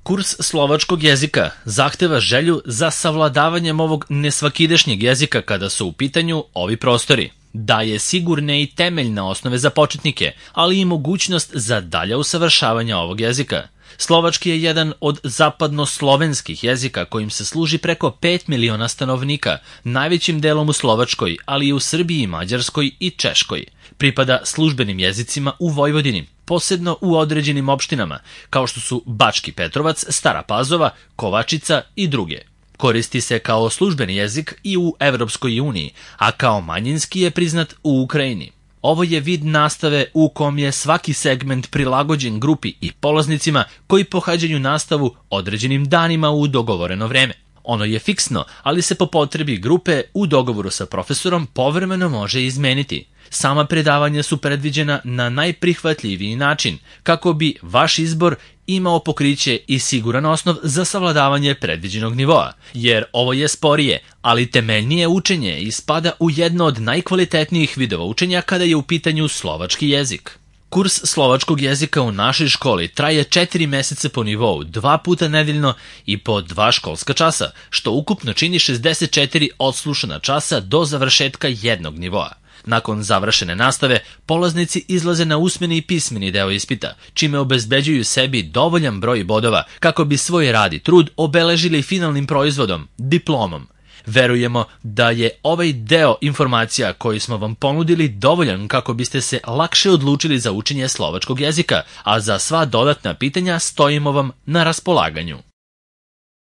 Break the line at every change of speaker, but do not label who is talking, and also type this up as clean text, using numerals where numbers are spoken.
Kurs slovačkog jezika zahteva želju za savladavanjem ovog nesvakidašnjeg jezika kada su u pitanju ovi prostori. Daje sigurne i temeljne osnove za početnike, ali i mogućnost za dalja usavršavanja ovog jezika. Slovački je jedan od zapadnoslovenskih jezika kojim se služi preko 5 miliona stanovnika, najvećim delom u Slovačkoj, ali i u Srbiji, Mađarskoj i Češkoj. Pripada službenim jezicima u Vojvodini, posebno u određenim opštinama, kao što su Bački Petrovac, Stara Pazova, Kovačica i druge. Koristi se kao službeni jezik i u Evropskoj uniji, a kao manjinski je priznat u Ukrajini. Ovo je vid nastave u kom je svaki segment prilagođen grupi i polaznicima koji pohađaju nastavu određenim danima u dogovoreno vreme. Ono je fiksno, ali se po potrebi grupe u dogovoru sa profesorom povremeno može izmeniti. Sama predavanja su predviđena na najprihvatljiviji način, kako bi vaš izbor imao pokriće i siguran osnov za savladavanje predviđenog nivoa, jer ovo je sporije, ali temeljnije učenje i spada u jedno od najkvalitetnijih vidova učenja kada je u pitanju slovački jezik. Kurs slovačkog jezika u našoj školi traje 4 meseca po nivou, 2 puta nedeljno i po 2 školska časa, što ukupno čini 64 odslušana časa do završetka jednog nivoa. Nakon završene nastave, polaznici izlaze na usmeni i pismeni deo ispita, čime obezbeđuju sebi dovoljan broj bodova kako bi svoj rad i trud obeležili finalnim proizvodom, diplomom. Verujemo da je ovaj deo informacija koji smo vam ponudili dovoljan kako biste se lakše odlučili za učenje slovačkog jezika, a za sva dodatna pitanja stojimo vam na raspolaganju.